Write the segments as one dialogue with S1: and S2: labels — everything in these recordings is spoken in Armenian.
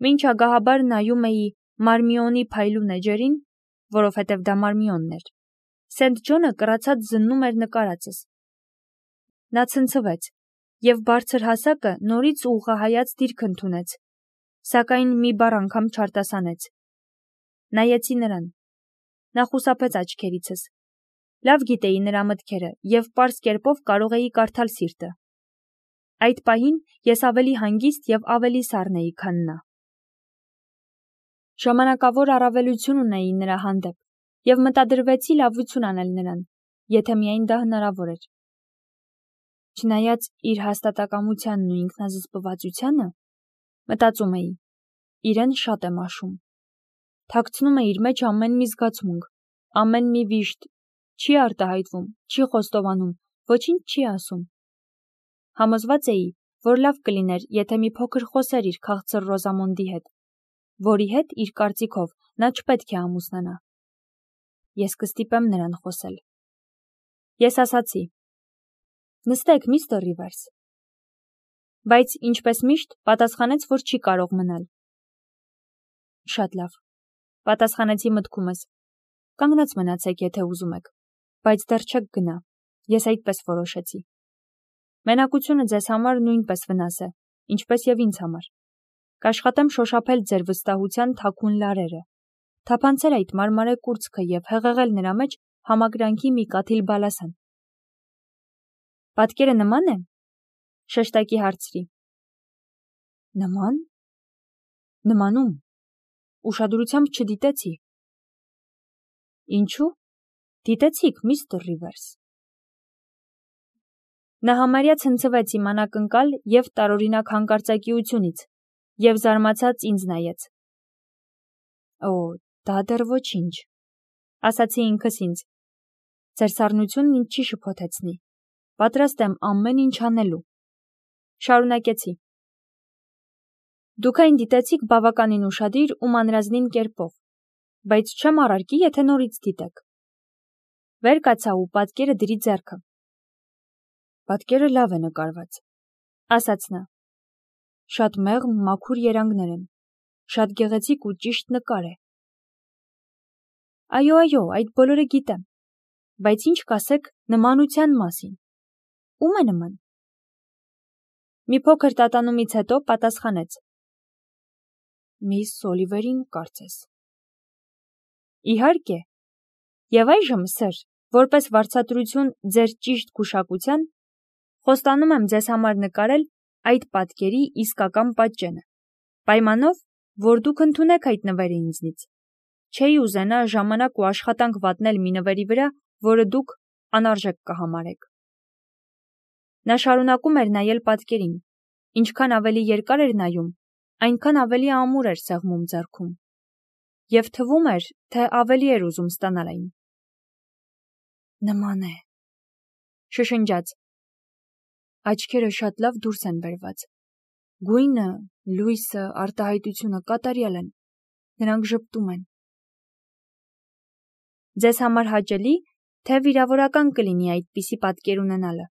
S1: Մինչ ագահաբար նայում էի Մարմիոնի փայլուն էջերին, որովհետև դա Մարմիոնն էր, Սենթ Ջոնը կռացած զննում էր նկարածս։ Նա ցնցվեց, և բարձր հասակը նորից ուղղահայաց դիրք ընդունեց, սակայն մի բառ անգամ չարտասանեց։ Նայեցի նրան։ Նա խուսափեց աչքերիցս։ Լավ գիտեի նրա մտքերը և պարզ կերպով կարող էի կարդալ սիրտը։ Այդ պահին ես ավելի հանգիստ և ավելի սառն էի, քան նա։ Ժամանակավոր առավելություն ունեի նրա հանդեպ և մտադրվեցի լավություն անել նրան, եթե միայն դա հնարավոր էր։ Չնայած իր հաստատակամությանն ու ինքնազսպվածությանը, մտածում էի, իրեն շատ եմ աշում։ Թաքցնում է իր մեջ ամեն մի զգացմունք, ամեն մի վիշտ, չի արտահայտվում, չի խոստովանում, ոչինչ չի ասում։ Համոզված էի, որ լավ կլիներ, եթե մի փոքր խոսեր իր քաղցր Ռոզամոնդի հետ, որի հետ, իր կարծիքով, նա չպետք է ամուսնանա։ Ես կստիպեմ նրան խոսել։ Ես ասացի. նստեք, միստր Ռիվերս։ Բայց, ինչպես միշտ, պատասխանեց, որ չի կարող մնալ։ Շատ լավ, պատասխանեցի մտքումս։ Կանգնած մնացեք, եթե ուզում եք, բայց դեռ չեք գնա, ես այդպես որոշեցի։ Մենակությունը ձեզ համար նույնպես վնաս է, ինչպես և ինձ համար։ Կաշխատեմ շոշափել ձեր վստահության թաքուն լարերը, թափանցել այդ մարմարե կուրծքը և հեղեղել նրա մեջ համակրանքի մի կաթիլ բալասան։ Պատկերը նման է, շեշտակի հարցրի։ Նման։ Նմանում։ Ուշադրությամբ չդիտեցի։ Ինչու։ Դիտեցիք, միստր Ռիվերս։ Նա համարյա ցնցվեց իմ անակնկալ և տարօրինակ հանկարծակիությունից և զարմացած ինձ նայեց։ Օ, դա դեռ ոչինչ, ասացի ինքս ինձ։ Ձեր սառնությունն ինձ չի շփոթեցնի։ Պատրաստ եմ ամեն ինչ անելու։ Շարունակեցի։ Դուք այն դիտեցիք բավականին ուշադիր ու մանրազնին կերպով, բայց չեմ առարկի, եթե նորից դիտեք։ Վեր կացա ու պատկերը դրի ձեռքը։ Պատկերը լավ է նկարված, ասաց նա։ Շատ մեղմ, մաքուր երանգներ են, շատ գեղեցիկ ու ճիշտ նկար է։ Այո, այդ բոլորը գիտեմ, բայց ինչ կասեք նմանության մասին։ Ո՞ւմ է նման։ Մի փոքր տատանումից հետո պատասխանեց. Միս Օլիվերին, կարծես։ Իհարկե։ Եվ այժմ, սըր, որպես վարձատրություն ձեր ճիշտ գուշակության, խոստանում եմ ձեզ համար նկարել այդ պատկերի իսկական պատճենը, պայմանով, որ դուք ընդունեք այդ նվերը ինձնից։ Չէի ուզենա ժամանակ ու աշխատանք վատնել մի նվերի վրա, որը դուք անարժեք կհամարեք։ Նա շարունակում էր նայել պատկերին, ինչքան ավելի երկար էր նայում, այնքան ավելի ամուր էր սեղմում ձեռքում, և թվում էր, թե ավելի էր ուզում ստանալ այն։ Նման է, շշնջաց։ Աչքերը շատ լավ դուրս են բերված։ Գույնը, լույսը, արտահայտությունը կատարյալ են։ Նրանք ժպտում են։ Ձեզ համար հաճելի, թե վիրավորական կլինի այդպիսի պատկեր ունենալը։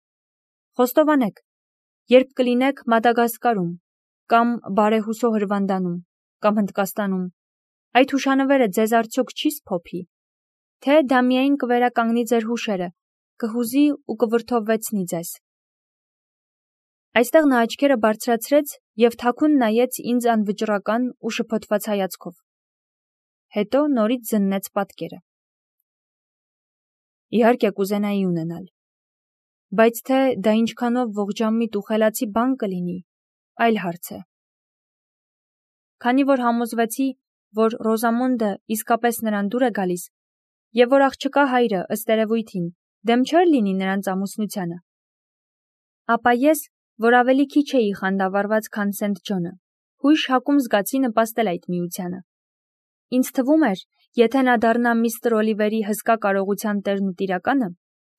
S1: Խոստովանեք, երբ կլինեք Մադագասկարում, կամ Բարեհուսո Հրվանդանում, կամ Հնդկաստանում, այդ հուշանվերը ձեզ արդյոք չի սփոփի, թե դա միայն կվերականգնի ձեր հուշերը, կհուզի ու կվրդովվեցնի ձեզ։ Այստեղ նա աչքերը բարձրացրեց և թաքուն նայեց ինձ անվճռական ու շփոթված հայացքով։ Հետո նորից զննեց պատկերը։ Իհարկե կուզենայի ունենալ, բայց թե դա ինչքանով ողջամիտ ու խելացի բան կլինի, այլ հարց է։ Քանի որ համոզվեցի, որ Ռոզամոնդը իսկապես նրան դուր է գալիս, և որ աղջկա հայրը, ըստ երևույթին, դեմ չէր լինի նրանց ամուսնությանը, ապա ես, որ ավելի քիչ էի խանդավառված, քան Սենթ Ջոնը, հույժ հակում զգացի նպաստել այդ միությանը։ Ինձ թվում էր, եթե նա դառնա միստր Օլիվերի հսկա կարողության տերն ու տիրականը,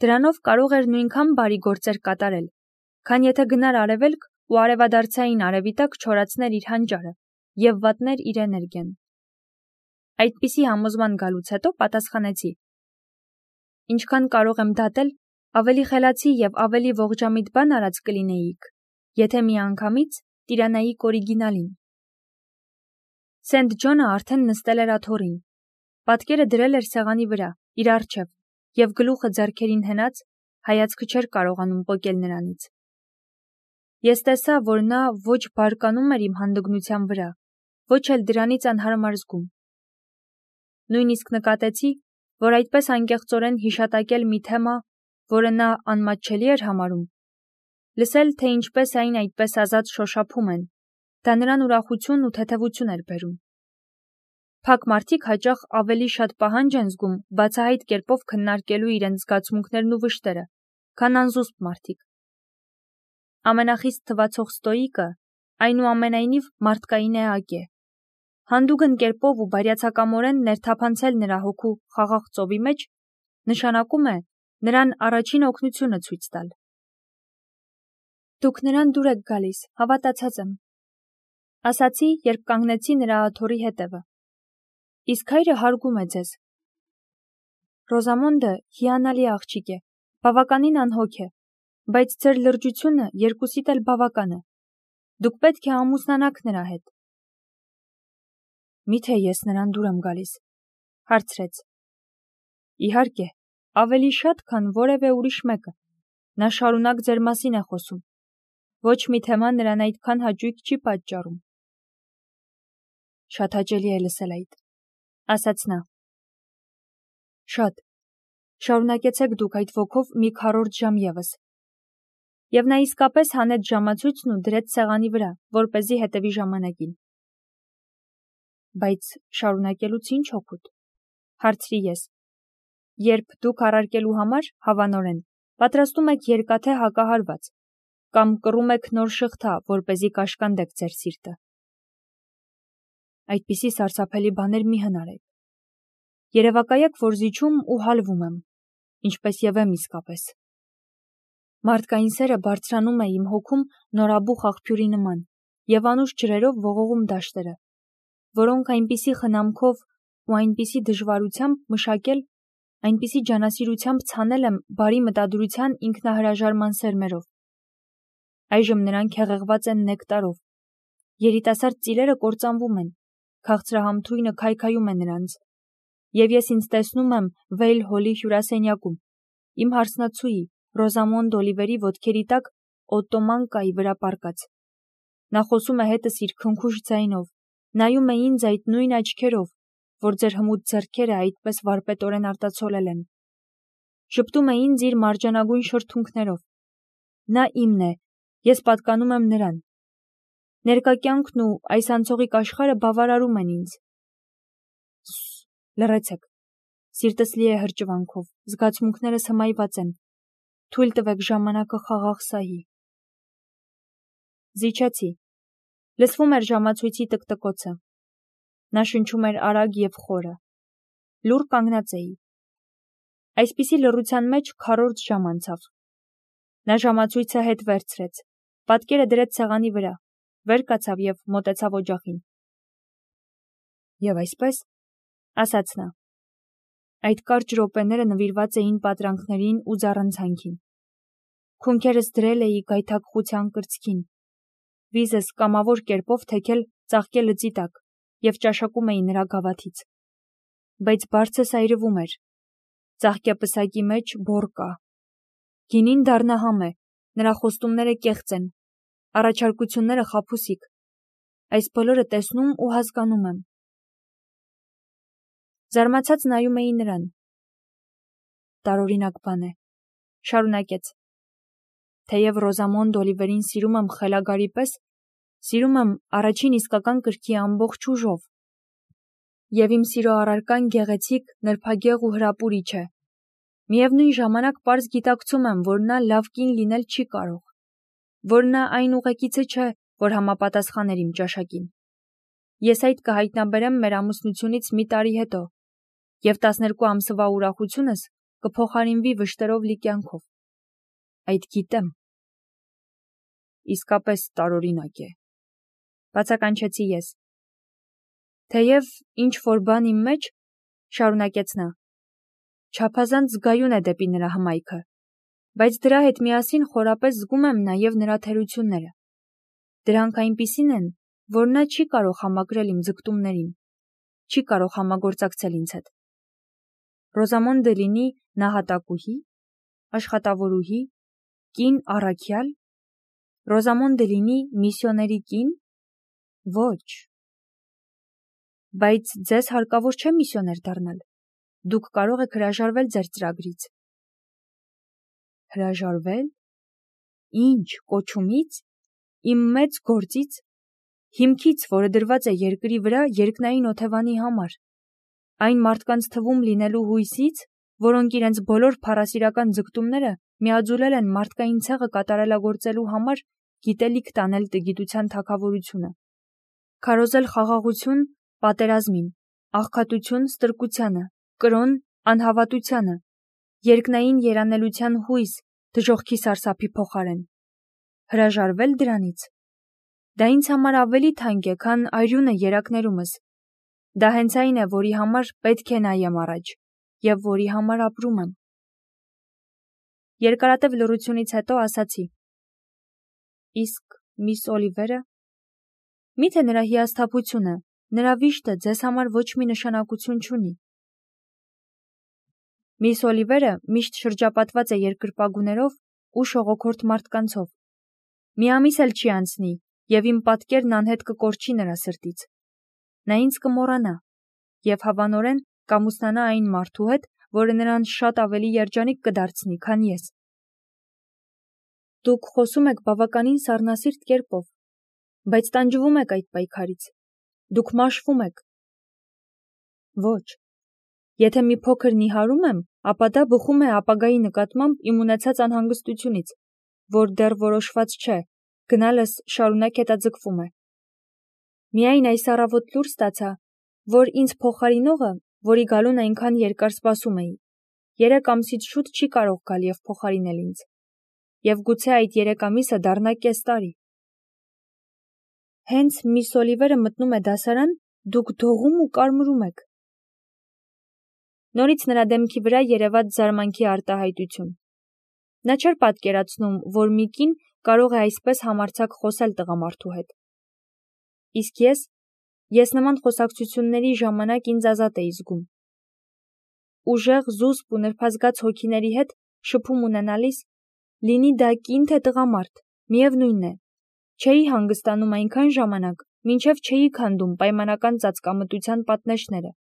S1: դրանով կարող էր նույնքան բարի գործեր կատարել, քան եթե գնար արևելք ու արևադարձային արևի տակ չորացներ իր հանճարը և վատներ իր էներգիան։ Այդպիսի համոզման գալուց հետո պատասխանեցի. Ինչքան կարող եմ դատել, ավելի խելացի և ավելի ողջամիտ բան արած կլինեիք, եթե միանգամից տիրանայիք օրիգինալին։ Սենթ Ջոնը արդեն նստել էր աթոռին։ Պատկերը դրել էր սեղանի վրա, իր առջև, և գլուխը ձեռքերին հենած, հայացքը չէր կարողանում պոկել նրանից։ Ես տեսա, որ նա ոչ բարկանում էր իմ հանդգնության վրա, ոչ էլ դրանից անհարմար զգում։ Նույնիսկ նկատեցի, որ այդպես անկեղծորեն հիշատակել մի թեմա, որը նա անմատչելի էր համարում, լսել, թե ինչպես այն այդպես ազատ շոշափում են, դա նրան ուրախություն ու թեթևություն էր բերում։ Փակ մարդիկ հաճախ ավելի շատ պահանջ են զգում բացահայտ կերպով քննարկելու իրենց զգացմունքներն ու վշտերը, քան անզուսպ մարդիկ։ Ամենախիստ թվացող ստոիկը, այնուամենայնիվ, մարդկային էակ է։ Հանդուգն կերպով ու բարյացակամորեն ներթափանցել նրա հոգու խաղաղ ծովի մեջ նշանակում է նրան առաջին օգնությունը ցույց տալ։ Դուք նրան դուր եք գալիս, հավատացած եմ, ասացի, երբ կանգնեցի նրա աթոռի հետևը։ Իսկ հայրը հարգում է ձեզ։ Ռոզամոնդը հիանալի աղջիկ է, բավականին անհոգ է, բայց ձեր լրջությունը երկուսիդ էլ բավական է։ Դուք պետք է ամուսնանաք նրա հետ։ Միթե ես նրան դուր եմ գալիս, հարցրեց։ Իհարկե, ավելի շատ, քան որևէ ուրիշ մեկը։ Նա շարունակ ձեր մասին է խոսում։ Ոչ մի թեմա նրան այդքան հաճույք չի պատճառում։ Շատ հաճելի է լսել այդ, ասաց նա։ Շատ։ Շարունակեցեք դուք այդ ոգով մի քառորդ ժամ ևս։ Եվ նա իսկապես հանեց ժամացույցն ու դրեց սեղանի վրա, որպեսզի հետևի ժամանակին։ Բայց շարունակելուց ինչ օգուտ, հարցրի ես։ Երբ դուք առարկելու համար, հավանորեն, պատրաստում եք երկաթե հակահարված, կամ կռում եք նոր շղթա, որպեսզի կաշկանդեք ձեր սիրտը։ Այդպիսի սարսափելի բաներ մի հնարեք։ Երևակայեք, որ զիջում ու հալվում եմ, ինչպես եւ եմ իսկապես։ Մարդկային սերը բարձրանում է իմ հոգում նորաբուխ աղբյուրի նման եւ անուշ ջրերով ողողում դաշտերը, որոնք այնպիսի խնամքով ու այնպիսի դժվարությամբ մշակել, այնպիսի ջանասիրությամբ ցանել եմ բարի մտադրության ինքնահրաժարման սերմերով։ Այժմ նրանք հեղեղված են նեկտարով։ Երիտասարդ ծիլերը կործանվում են, քաղցրահամ թույնը քայքայում է նրանց, եւ ես ինձ տեսնում եմ Վեյլ Հոլի հյուրասենյակում, իմ հարսնացուի Ռոզամոնդ Օլիվերի ոտքերի տակ օտոմանկայի վրա պառկած։ Նա խոսում է հետս իր քնքուշ ձայնով, նայում է ինձ այդ նույն աչքերով, որ ձեր հմուտ ձեռքերը այդպես վարպետորեն արտացոլել են։ Շպտում է ինձ իր մարջանագույն շրթունքներով։ Նա իմն է, ես պատկանում եմ նրան։ Ներկա կյանքն ու այս անցողիկ աշխարհը բավարարում են ինձ։ Լռեցեք։ Սիրտս լի է հրճվանքով, զգացմունքներս հմայված են։ Թույլ տվեք ժամանակը խաղաղ սահի։ Զիջեցի։ Լսվում էր ժամացույցի տկտկոցը։ Նա շնչում էր արագ եւ խորը։ Լուռ կանգնած էի։ Այսպիսի լռության մեջ քառորդ ժամ անցավ։ Նա ժամացույցը հետ վերցրեց, պատկերը դրեց սեղանի վրա, վեր կացավ եւ մոտեցավ օջախին։ Եվ այսպես, ասաց նա, այդ կարճ րոպեները նվիրված էին պատրանքներին ու զառանցանքին։ Քունքերս դրել էի գայթակղության կրծքին, վիզս կամավոր կերպով թեքել ծաղկե լծի տակ եւ ճաշակում էի նրա գավաթից։ Բայց բարձրս այրվում էր։ Ծաղկե պսակի մեջ բոր կա։ Գինին դառնահամ է, նրա խոստումները կեղծ են, առաջարկությունները խաբուսիկ։ Այս բոլորը տեսնում ու հասկանում եմ։ Զարմացած նայում էի նրան։ Տարօրինակ բան է, շարունակեց։ Թեև Ռոզամոնդ Օլիվերին սիրում եմ խելագարի պես, սիրում եմ առաջին իսկական կրքի ամբողջ ուժով։ Եվ իմ սիրո առարկան գեղեցիկ, նրբագեղ ու հրապուրիչ է։ Միևնույն ժամանակ պարզ գիտակցում եմ, որ նա լավ կին լինել չի կարող, որ նա այն ուղեկիցը չէ, որ համապատասխաներ իմ ճաշակին։ Ես այդ կհայտնաբերեմ մեր ամուսնությունից մի տարի հետո, եւ 12 ամսվա ուրախությունս կփոխարինվի վշտերով լի կյանքով։ Այդ գիտեմ։ Իսկապես տարօրինակ է, բացականչեցի ես։ Թեև ինչ որ բան իմ մեջ, շարունակեց նա, չափազանց զգայուն է դեպի նրա հմայքը, բայց դրա հետ միասին խորապես զգում եմ նաև նրա թերությունները։ Դրանք այնպիսին են, որ նա չի կարող համակրել իմ ձգտումներին, չի կարող համագործակցել ինձ հետ։ Ռոզամոնդը լինի նահատակուհի, աշխատավորուհի, կին առաքյալ, Ռոզամոնդը լինի միսիոների կին, ոչ։ Բայց ձեզ հարկավոր չէ միսիոներ դառնալ, դուք կարող եք հրաժարվել ձեր ծրագրից։ Հրաժարվել։ Ինչ, կոչումից, իմ մեծ գործից, հիմքից, որը դրված է երկրի վրա երկնային օթևանի համար, այն մարդկանց թվում լինելու հույսից, որոնք իրենց բոլոր փառասիրական ձգտումները միաձուլել են մարդկային ցեղը կատարելագործելու համար գիտելիք տանել տգիտության թագավորությունը, քարոզել խաղաղություն պատերազմին, աղքատություն ստրկությանը, կրոն անհավատությանը, երկնային երանելության հույս դժոխքի սարսափի փոխարեն։ Հրաժարվել դրանից։ Դա ինձ համար ավելի թանկ է, քան արյունը երակներումս։ Դա հենց այն է, որի համար պետք է նայեմ առաջ, և որի համար ապրում եմ։ Երկարատև լռությունից հետո ասացի. Իսկ միս Օլիվերը, միթե նրա հիասթափությունը, նրա վիշտը ձեզ համար ոչ մի նշանակություն չունի։ Միս Օլիվերը միշտ շրջապատված է երկրպագուներով ու շողոքորթ մարդկանցով։ Մի ամիս էլ չի անցնի, և իմ պատկերն անհետ կկորչի նրա սրտից։ Նա ինձ կմոռանա և հավանորեն կամուսնանա այն մարդու հետ, որը նրան շատ ավելի երջանիկ կդարձնի, քան ես։ Դուք խոսում եք բավականին սառնասիրտ կերպով, բայց տանջվում եք այդ պայքարից։ Դուք մաշվում եք։ Ոչ։ Եթե մի փոքր նիհարում եմ, ապա դա բխում է ապագայի նկատմամբ իմ ունեցած անհանգստությունից, որ դեռ որոշված չէ, գնալս շարունակ հետաձգվում է։ Միայն այս առավոտ լուր ստացա, որ ինձ փոխարինողը, որի գալուն այնքան երկար սպասում էի, 3 ամսից շուտ չի կարող գալ և փոխարինել ինձ, և գուցե այդ 3 ամիսը դառնա կես տարի։ Հենց միս Օլիվերը մտնում է դասարան, դուք դողում ու կարմրում եք։ Նորից նրա դեմքի վրա երևաց զարմանքի արտահայտություն։ Նա չէր պատկերացնում, որ մի կին կարող է այսպես համարձակ խոսել տղամարդու հետ։ Իսկ ես նման խոսակցությունների ժամանակ ինձ ազատ էի զգում։ Ուժեղ, զուսպ ու նրբազգաց հոգիների հետ շփում ունենալիս, լինի դա կին թե տղամարդ, միևնույն է, չէի հանգստանում այնքան ժամանակ, մինչև չէի քանդում պայմանական ծածկամտության պատնեշները,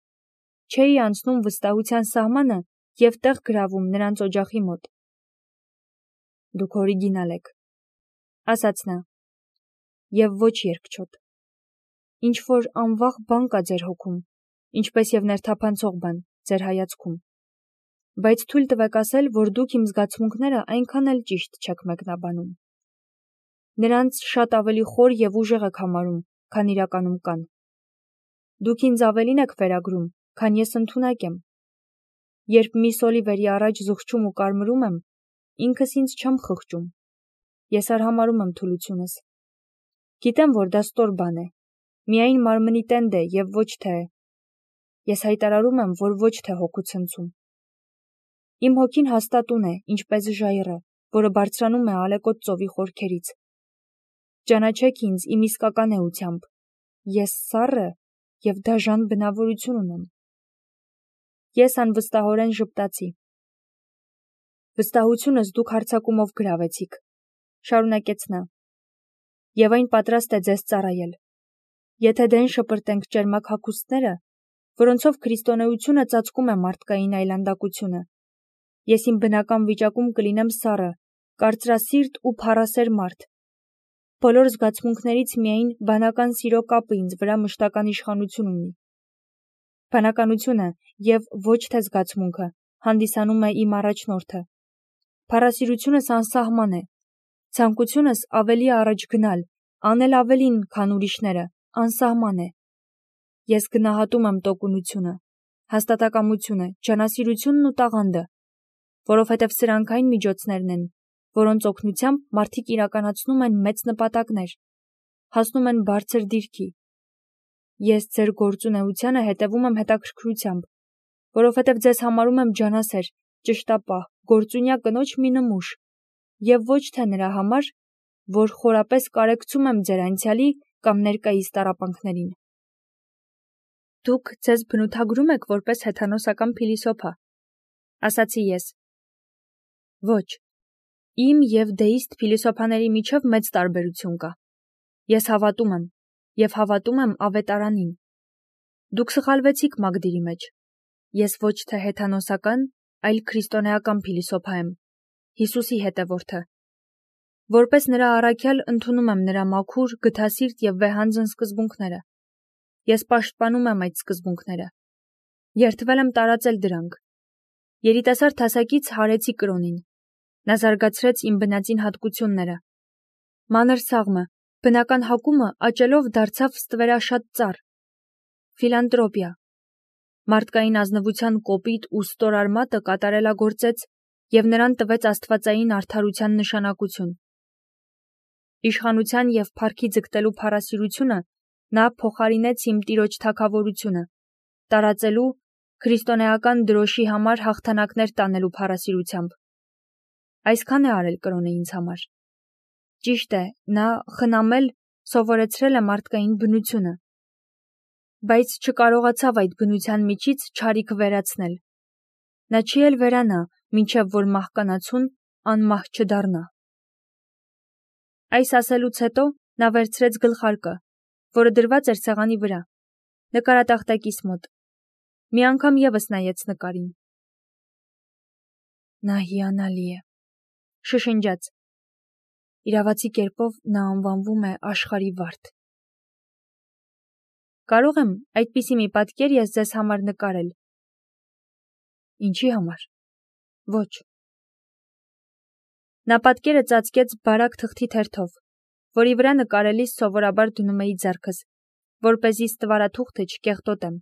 S1: չէի անցնում վստահության սահմանը և տեղ գրավում նրանց օջախի մոտ։ Դուք օրիգինալ եք, ասաց նա, և ոչ երկչոտ։ Ինչ-որ անվաղ բան կա ձեր հոգում, ինչպես և ներթափանցող բան ձեր հայացքում, բայց թույլ տվեք ասել, որ դուք իմ զգացմունքները այնքան էլ ճիշտ չեք մեկնաբանում։ Նրանց շատ ավելի խոր և ուժեղ եք համարում, քան իրականում կան։ Դուք ինձ ավելին եք վերագրում, քան ես ընդունակ եմ։ Երբ միս Օլիվերի առաջ զղջում ու կարմրում եմ, ինքս ինձ չեմ խղճում։ Ես արհամարհում եմ թուլությունս։ Գիտեմ, որ դա ստոր բան է, միայն մարմնի տենդ է և ոչ թե… Ես հայտարարում եմ, որ ոչ թե հոգու ցնցում։ Իմ հոգին հաստատուն է, ինչպես ժայռը, որը բարձրանում է ալեկոծ ծովի խորքերից։ Ճանաչեք ինձ իմ իսկական էությամբ։ Ես սառը և դաժան բնավորություն ունեմ։ Ես անվստահորեն ժպտացի։ Վստահությունս դուք հարձակումով գրավեցիք, շարունակեց նա, և այն պատրաստ է ձեզ ծառայել։ Եթե դեն շպրտենք ճերմակ հագուստները, որոնցով քրիստոնեությունը ծածկում է մարդկային այլանդակությունը, ես իմ բնական վիճակում կլինեմ սառը, կարծրասիրտ ու փառասեր մարդ։ Բոլոր զգացմունքներից միայն բանական սիրո կապը ինձ վրա մշտական իշխանություն ունի։ Բանականությունը և ոչ թե զգացմունքը հանդիսանում է իմ առաջնորդը։ Փառասիրությունս անսահման է։ Ցանկությունս ավելի առաջ գնալ, անել ավելին, քան ուրիշները, անսահման է։ Ես գնահատում եմ տոկունությունը, հաստատակամությունը, ջանասիրությունն ու տաղանդը, որովհետև սրանք այն միջոցներն են, որոնց օգնությամբ մարդիկ իրականացնում են մեծ նպատակներ, հասնում են բարձր դիրքի։ Ես ձեր գործունեությանը հետևում եմ հետաքրքրությամբ, որովհետև ձեզ համարում եմ ջանասեր, ճշտապահ, գործունյա կնոջ մի նմուշ, և ոչ թե նրա համար, որ խորապես կարեկցում եմ ձեր անցյալի կամ ներկայիս տառապանքներին։ Դուք ձեզ բնութագրում եք որպես հեթանոսական փիլիսոփա, ասացի ես։ Ոչ, իմ և դեիստ փիլիսոփաների միջև մեծ տարբերություն կա։ Ես հավատում եմ, և հավատում եմ ավետարանին։ Դուք սխալվեցիք Մագդիրի մեջ։ Ես ոչ թե հեթանոսական, այլ քրիստոնեական փիլիսոփա եմ, Հիսուսի հետևորդը։ Որպես նրա առաքյալ ընդունում եմ նրա մաքուր, գթասիրտ և վեհանձն սկզբունքները։ Ես պաշտպանում եմ այդ սկզբունքները։ Երդվել եմ տարածել դրանք։ Երիտասարդ հասակից հարեցի կրոնին։ Նա զարգացրեց իմ բնածին հատկությունները։ Մանր սաղմը, բնական հակումը աճելով դարձավ ստվերաշատ ծառ։ Ֆիլանտրոպիա։ Մարդկային ազնվության կոպիտ ու ստոր արմատը կատարելագործեց և նրան տվեց աստվածային արդարության նշանակություն։ Իշխանության և փառքի ձգտելու փառասիրությունը նա փոխարինեց իմ տիրոջ թագավորությունը, տարածելու, քրիստոնեական դրոշի համար հաղթանակներ տանելու փառասիրությամբ։ Այսքան է արել կրոնը ինձ համար։ Ճիշտ է, նա խնամել, սովորեցրել է մարդկային բնությունը, բայց չկարողացավ այդ բնության միջից չարիք վերացնել։ Նա չի էլ վերանա, մինչև որ մահկանացուն անմահ չդառնա։ Այս ասելուց հետո նա վերցրեց գլխարկը, որը դրված էր սեղանի վրա, նկարատախտակիս մոտ։ Մի անգամ ևս նայեց նկարին։ Նա հիանալի է, շշնջաց։ Իրավացի կերպով նա անվանվում է աշխարհի վարդ։ Կարող եմ այդպիսի մի պատկեր ես ձեզ համար նկարել։ Ինչի համար։ Ոչ։ Նա պատկերը ծածկեց բարակ թղթի թերթով, որի վրա նկարելիս սովորաբար դնում էի ձեռքս, որպեսզի ստվարաթուղթը չկեղտոտեմ։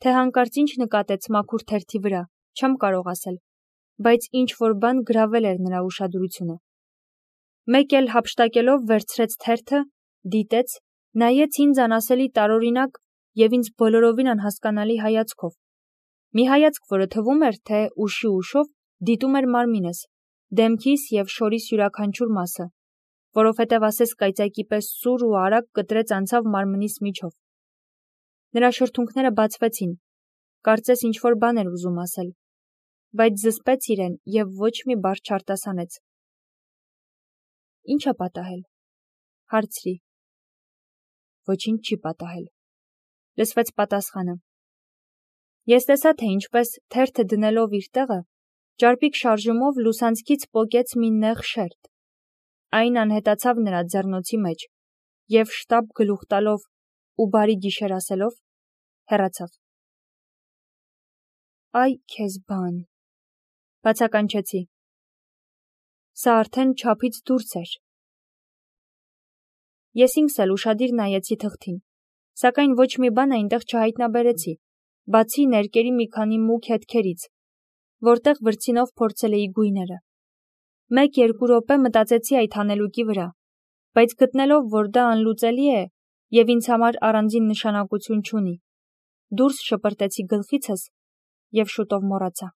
S1: Թե հանկարծ ինչ նկատեց մաքուր թերթի վրա, չեմ կարող ասել, բայց ինչ-որ բան գրավել էր նրա ուշադրությունը։ Մեկ էլ հափշտակելով վերցրեց թերթը, դիտեց, նայեց ինձ անասելի տարօրինակ և ինձ բոլորովին անհասկանալի հայացքով։ Մի հայացք, որը թվում էր, թե ուշի ուշով դիտում էր մարմինս, դեմքիս և շորիս յուրաքանչյուր մասը, որովհետև ասես կայծակի պես սուր ու արագ կտրեց անցավ մարմնիս միջով։ Նրա շրթունքները բացվեցին, կարծես ինչ-որ բան էր ուզում ասել, բայց զսպեց իրեն և ոչ մի բառ չարտասանեց։ Ինչ է պատահել։ Հարցրի։ Ոչինչ չի պատահել, լսվեց պատասխանը։ Ես տեսա, թե ինչպես թերթը դնելով իր տեղը, ճարպիկ շարժումով լուսանցքից պոկեց մի նեղ շերտ։ Այն անհետացավ նրա ձեռնոցի մեջ և շտապ գլուխ տալով ու բարի գիշեր ասելով, հեռացավ։ Այ քեզ բան, բացականչեցի։ Սա արդեն չափից դուրս էր։ Ես ինքս էլ ուշադիր նայեցի թղթին, սակայն ոչ մի բան այնտեղ չհայտնաբերեցի, բացի ներկերի մի քանի մուգ հետքերից, որտեղ վրձինով փորձել էի գույները։ 1-2 րոպե մտածեցի այդ հանելուկի վրա, բայց գտնելով, որ դա անլուծելի է և ինձ համար առանձին նշանակություն չունի, դուրս շպրտեցի գլխիցս և շուտով մոռացա։